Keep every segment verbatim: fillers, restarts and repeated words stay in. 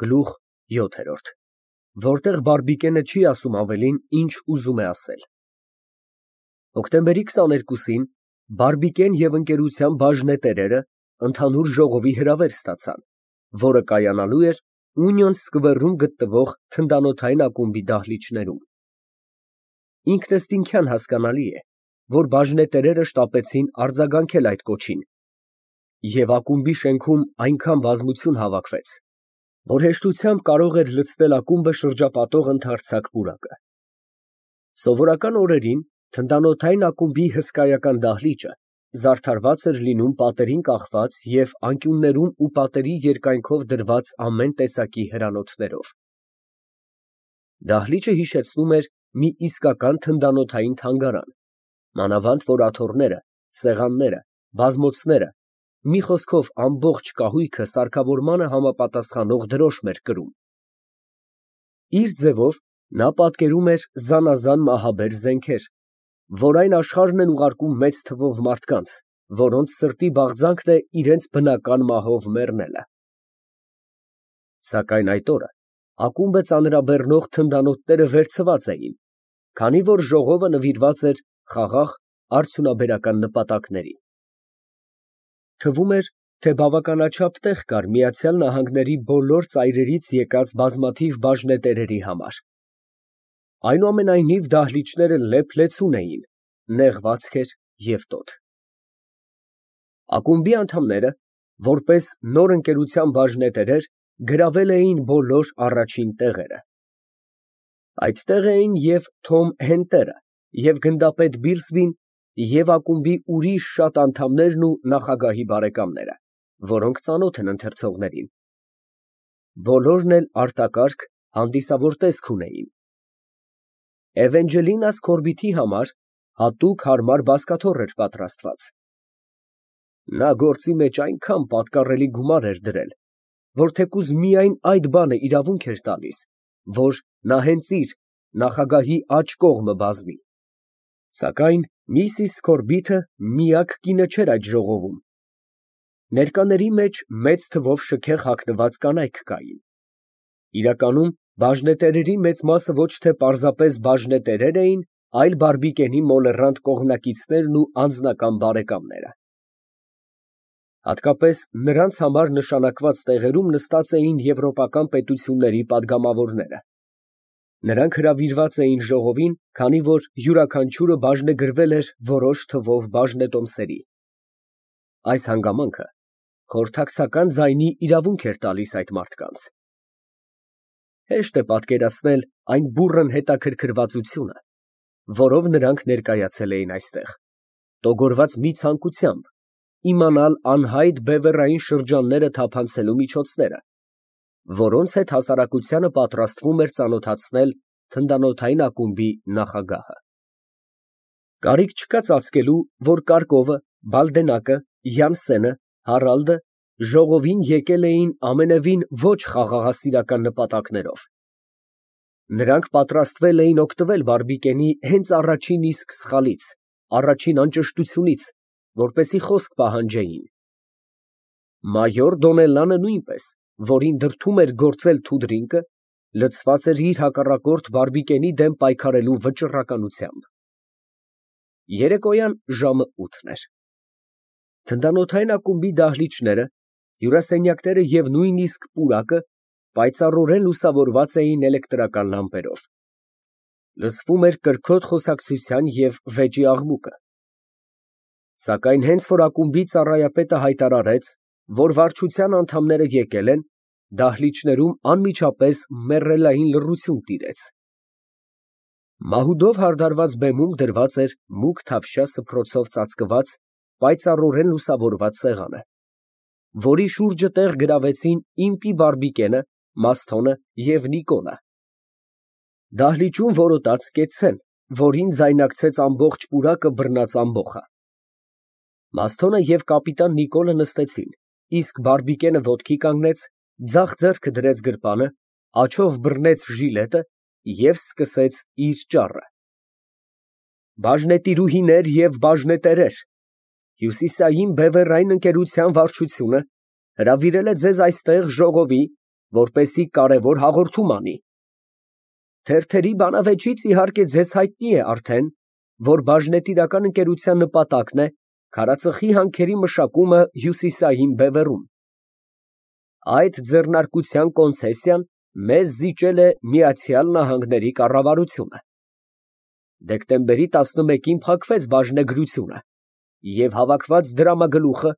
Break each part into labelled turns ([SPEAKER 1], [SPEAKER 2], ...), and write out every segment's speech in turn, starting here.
[SPEAKER 1] Գլուխ յոթ Որտեղ Բարբիկենը չի ասում ավելին, ինչ ուզում է ասել։ Հոկտեմբերի քսաներկուսին Բարբիկեն և ընկերության բաժնետերերը ընդհանուր ժողովի հրավեր ստացան, որը կայանալու էր Ունիոն սկվերում գտնվող թնդանոթային ակումբի դահլիճներում։ Ինքնըստինքյան հասկանալի է, որ բաժնետերերը շտապեցին արձագանքել այդ կոչին, և ակումբի շենքում այնքան բազմություն հավաքվեց, որ հեշտությամբ կարող էր լցնել ակումբը շրջապատող ընդարձակ պուրակը։ Սովորական օրերին թնդանոթային ակումբի հսկայական դահլիճը զարդարված էր լինում պատերին կախված և անկյուններում ու պատերի երկայնքով դրված ամեն տեսակի հրանոթներով։ Դահլիճը հիշեցնում էր մի իսկական թնդանոթային թանգարան, մանավանդ որ աթոռները, սեղանները, բազմոցները, մի խոսքով ամբողջ կահույքը սարքավորմանը համապատասխանող դրոշմ էր կրում։ Իր ձևով նա պատկերում էր զանազան մահաբեր զենքեր, որ այն աշխարհն են ուղարկում մեծ թվով մարդկանց, որոնց սրտի բաղձանքն է իրենց բնական մահով մեռնելը։ Սակայն այդ օրը ակումբը ծանրաբեռնող թնդանոթները վերցված էին, քանի որ ժողովը նվիրված էր խաղաղ արդյունաբերական նպատակների։ Թվում էր, թե բավականաչափ տեղ կար Միացյալ Նահանգների բոլոր ծայրերից եկած բազմաթիվ բաժնետերերի համար։ Այնուամենայնիվ դահլիճները լեփ-լեցուն էին, նեղ վազք էր և տոտ։ Ակումբի անդամները, որպես նոր ընկերության բաժնետերեր, գրավել էին բոլոր առաջին տեղերը։ Այդտեղ էին և Թոմ Հենտերը, և գնդապետ Բիլսբին, և ակումբի ուրիշ շատ անդամներն ու նախագահի բարեկամները, որոնք ծանոթ են ընթերցողներին։ Բոլորն էլ արտակարգ, հանդիսավոր տեսք ունեին։ Էվենջելինա Սքորբիթի համար հատուկ հարմար բազկաթոռ էր պատրաստված։ Նա գործի մեջ այնքան պատկառելի գումար էր դրել, որ թեկուզ միայն այդ բանը իրավունք էր տալիս, որ նա հենց իր՝ նախագահի աջ կողմը բազմի։ Սակայն միսիս Սքորբիթը միակ կինը չէր այդ ժողովում։ Ներկաների մեջ մեծ թվով շքեղ հագնված կանայք կային։ Իրականում բաժնետերերի մեծ մասը ոչ թե պարզապես բաժնետերեր էին, այլ Բարբիկենի մոլեռանդ կողմնակիցներն ու անձնական բարեկամները։ Հատկապես նրանց համար նշանակված տեղերում նստած էին եվրոպական պետությունների պատգամավորները։ Նրանք հրավիրված էին ժողովին, քանի որ յուրաքանչյուրը բաժնեգրվել էր որոշ թվով բաժնետոմսերի։ Այս հանգամանքը խորհրդակցական ձայնի իրավունք էր տալիս այդ մարդկանց։ Հեշտ է պատկերացնել այն բուռն հետաքրքրվածությունը, որով նրանք ներկայացել էին այստեղ, տոգորված մի ցանկությամբ իմանալ անհայտ բևեռային շրջանները թափանցելու միջոցները, որոնց հետ հասարակությանը պատրաստվում էր ծանոթացնել թնդանոթային ակումբի նախագահը։ Կարիք չկա ծածկելու, որ Կարկովը, Բալդենակը, Յանսենը, Հարալդը ժողովին եկել էին ամենևին ոչ խաղաղասիրական նպատակներով։ Նրանք պատրաստվել էին օգտվել Բարբիկենի հենց առաջին իսկ սխալից, առաջին անճշտությունից, որպեսզի խոսք պահանջեին։ Մայոր Դոնելլանը նույնպես, որին դրդում էր գործել թուդրինկը, լցված էր իր հակառակորդ Բարբիկենի դեմ պայքարելու վճռականությամբ։ Երեկոյան ժամը ութն էր։ Թնդանոթային ակումբի դահլիճները, հյուրասենյակները և նույնիսկ պուրակը պայծառորեն լուսավորված էին էլեկտրական լամպերով։ Լսվում էր կրքոտ խոսակցության և վեճի աղմուկը։ Սակայն հենց որ ակումբի ծառայապետը հայտարարեց, որ վարչության անդամները եկել են, դահլիճներում անմիջապես մեռելային լռություն տիրեց։ Մահուդով հարդարված բեմում դրված էր մուգ թավշյա սփռոցով ծածկված, պայծառորեն լուսավորված սեղանը, որի շուրջը տեղ գրավեցին Իմպի Բարբիկենը, Մասթոնը և Նիկոլը։ Դահլիճում որոտաց կեցցեն, որին ձայնակցեց ամբողջ պուրակը բռնած ամբոխը։ Մասթոնը և կապիտան Նիկոլը նստեցին, իսկ Բարբիկենը ոտքի կանգնեց, ձախ ձեռքը դրեց գրպանը, աջով բռնեց ժիլետը և սկսեց իր ճառը։ Բաժնետիրուհիներ և բաժնետերեր, Հյուսիսային բևեռային ընկերության վարչությունը հրավիրել է ձեզ այստեղ ժողովի, որպեսզի կարևոր հաղորդում անի։ Թերթերի բանավեճից իհարկե ձեզ հայտնի է արդեն, որ բաժնետիրական ընկերության նպատակն է քարածխի հանքերի մշակումը Հյուսիսային Բևեռում։ Այդ ձեռնարկության կոնցեսիան մեզ զիջել է Միացյալ Նահանգների կառավարությունը։ Դեկտեմբերի տասնմեկին փակվեց բաժնեգրությունը, և հավաքված դրամագլուխը,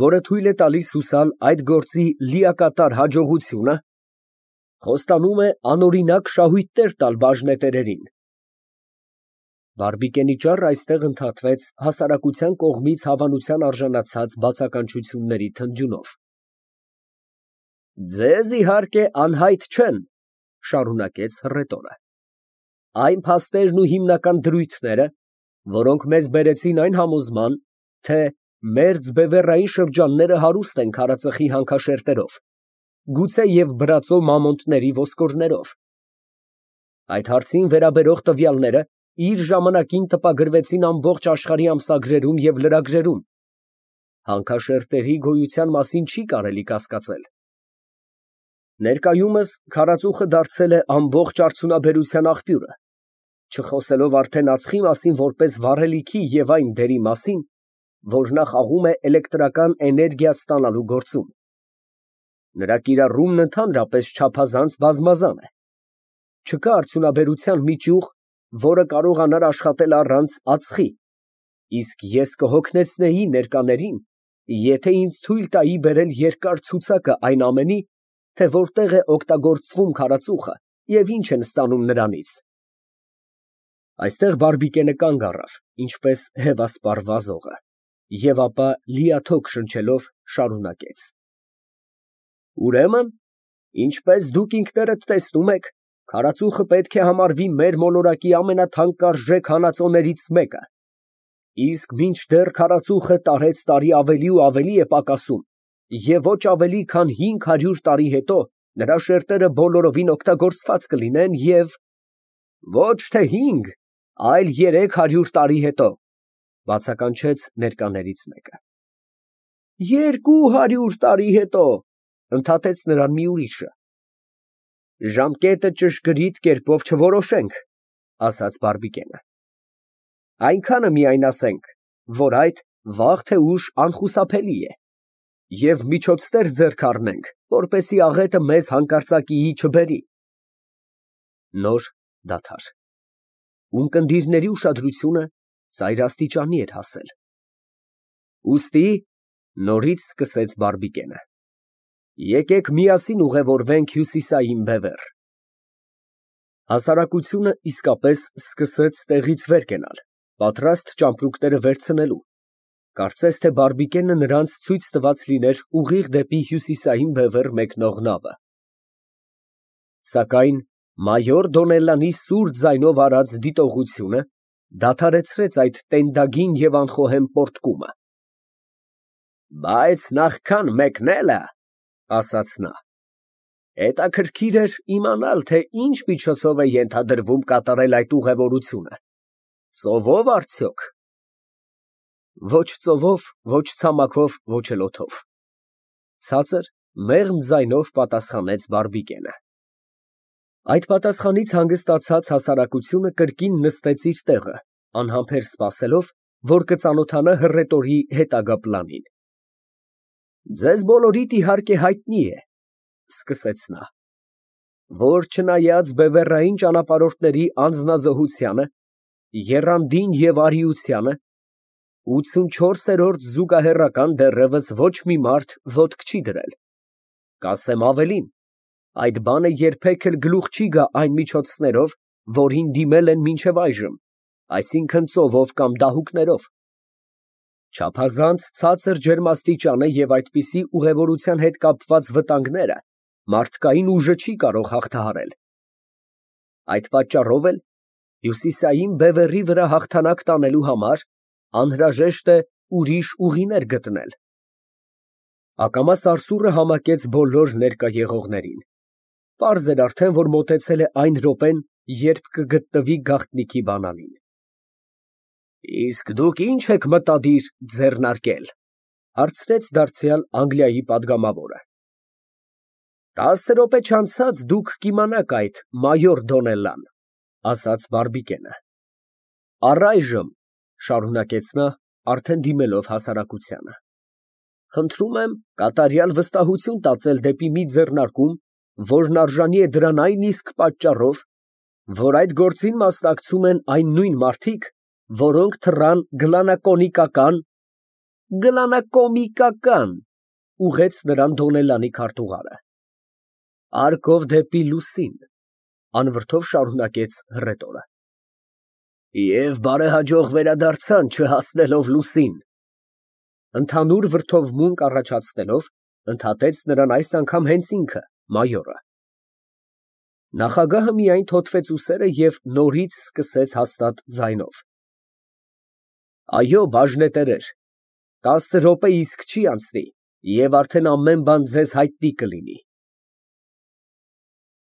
[SPEAKER 1] որը թույլ է տալիս հուսալ այդ գործի լիակատար հաջողությունը, խոստանում է անօրինակ շահույթներ տալ բաժնետերերին։ Բարբիկենի ճառը այստեղ ընդհատվեց հասարակության կողմից հավանության արժանացած բացականչությունների թնդյունով։ Ձեզ, իհարկե, անհայտ չեն, շարունակեց հռետորը, այն փաստերն ու հիմնական դրույթները, որոնք մեզ բերեցին այն համոզման, թե մերձբևեռային շրջանները հարուստ են քարածխի հանքաշերտերով, գուցեև բրածո մամոնտների ոսկորներով։ Այդ հարցին վերաբերող տվյալները իր ժամանակին տպագրվեցին ամբողջ աշխարհի ամսագրերում և լրագրերում։ Հանքաշերտերի գոյության մասին չի կարելի կասկածել։ Ներկայումս քարածուխը դարձել է ամբողջ արդյունաբերության աղբյուրը, չխոսելով արդեն ածխի մասին որպես վառելիքի և այն դերի մասին, որ նա խաղում է էլեկտրական էներգիա ստանալու գործում։ Նրա կիրառումն ընդհանրապես չափազանց բազմազան է։ Չկա արդյունաբերության մի ճյուղ, որը կարողանար աշխատել առանց ածխի, իսկ ես կհոգնեցնեի ներկաներին, եթե ինձ թույլ տայի բերել երկար ցուցակը այն ամենի, թե որտեղ է օգտագործվում քարածուխը և ինչ են ստանում նրանից։ Այստեղ Բարբիկենը կանգ առավ, ինչպես հևասպառ վազողը, և ապա լիաթոք շնչելով շարունակեց. Ուրեմն, ինչպես դուք ինքներդ տեսնում եք, քարածուխը պետք է համարվի մեր մոլորակի ամենաթանկարժեք հանածոներից մեկը, իսկ մինչդեռ քարածուխը տարեցտարի ավելի ու ավելի է պակասում, և ոչ ավելի քան հինգ հարյուր տարի հետո նրա շերտերը բոլորովին օգտագործված կլինեն և… Ոչ թե հինգ, այլ երեք հարյուր տարի հետո, բացականչեց ներկաներից մեկը։ Երկու հարյուր տարի հետո, ընդհատեց նրան մի ուրիշը։ Ժամկետը ճշգրիտ կերպով չորոշենք, ասաց Բարբիկենը, այնքանը միայն ասենք, որ այդ վաղ թե ուշ անխուսափելի է, և միջոցներ ձեռք առնենք, որպեսզի աղետը մեզ հանկարծակիի չբերի։ Նոր դադար։ Ունկնդիրների ուշադրությունը ծայրաստիճանի էր հասել։ Ուստի նորից սկսեց Բարբիկենը. Եկեք միասին ուղևորվենք Հյուսիսային Բևեռ։ Հասարակությունը իսկապես սկսեց տեղից վեր կենալ, պատրաստ ճամպրուկները վերցնելու, կարծես թե Բարբիկենը նրանց ցույց տված լիներ ուղիղ դեպի Հյուսիսային Բևեռ մեկնող նավը։ Սակայն մայոր Դոնելլանի սուր ձայնով արած դիտողությունը դադարեցրեց այդ տենդագին և անխոհեմ պոռթկումը։ Բայց նախքան մեկնելը, ասաց նա, հետաքրքիր էր իմանալ, թե ինչ միջոցով է ենթադրվում կատարել այդ ուղևորությունը, ծովո՞վ արդյոք։ Ոչ ծովով, ոչ ցամաքով, ոչ էլ օդով, ցածր, մեղմ ձայնով պատասխանեց Բարբիկենը։ Այդ պատասխանից հանգստացած հասարակությունը կրկին նստեց իր տեղը, անհամբեր սպասելով, որ կծանոթանա հռետորի հետագա պլանին։ Ձեզ բոլորիդ իհարկե հայտնի է, սկսեց նա, որ չնայած բևեռային ճանապարհորդների անձնազոհությանը, եռանդին և արիությանը, ութսունչորսերորդ զուգահեռական դեռևս ոչ մի մարդ ոտք չի դրել, կասեմ ավելին, այդ բանը երբեք էլ գլուխ չի գա այն միջոցներով, որին դիմել են մինչև այժմ, այսինքն ծովով կամ դահուկներով։ Չափազանց ցածր ջերմաստիճանը և այդպիսի ուղևորության հետ կապված վտանգները մարդկային ուժը չի կարող հաղթահարել։ Այդ պատճառով էլ Հյուսիսային Բևեռի վրա հաղթանակ տանելու համար անհրաժեշտ է ուրիշ ուղիներ գտնել։ Ակամա սարսուռը համակեց բոլոր ներկա եղողներին։ Պարզ էր արդեն, որ մոտեցել է այն րոպեն, երբ կգտնվի գաղտնիքի բանալին։ Իսկ դուք ի՞նչ եք մտադիր ձեռնարկել, հարցրեց դարձյալ Անգլիայի պատգամավորը։ Տասը րոպե չանցած դուք կիմանաք այդ մայոր Դոնելլան, ասաց բարբիկենը։ Առայժմ, շարունակեց նա, արդեն դիմելով հասարակությանը, խնդրում եմ կատարյալ վստահություն տածել դեպի մի ձեռնարկում, որն արժանի է դրան այն իսկ պատճառով, որ այդ գործին մասնակցում են այն նույն մարդիկ, որոնք թռան գլանակոնիկական գլանակոմիկական, ուղղեց նրան Դոնելլանի քարտուղարը, արկով դեպի լուսին, անվրդով շարունակեց հռետորը։ Եվ բարեհաջող վերադարձան չհասնելով լուսին, ընդհանուր վրդովմունք առաջացնելով, ընդհատեց նրան այս անգամ հենց ինքը, մայորը։ Նախագահը միայն թոթվեց ուսերը և նորից սկսեց հաստատ ձայնով. Այո, բաժնետերեր, տասը րոպե իսկ չի անցնի, և արդեն ամեն բան ձեզ հայտնի կլինի։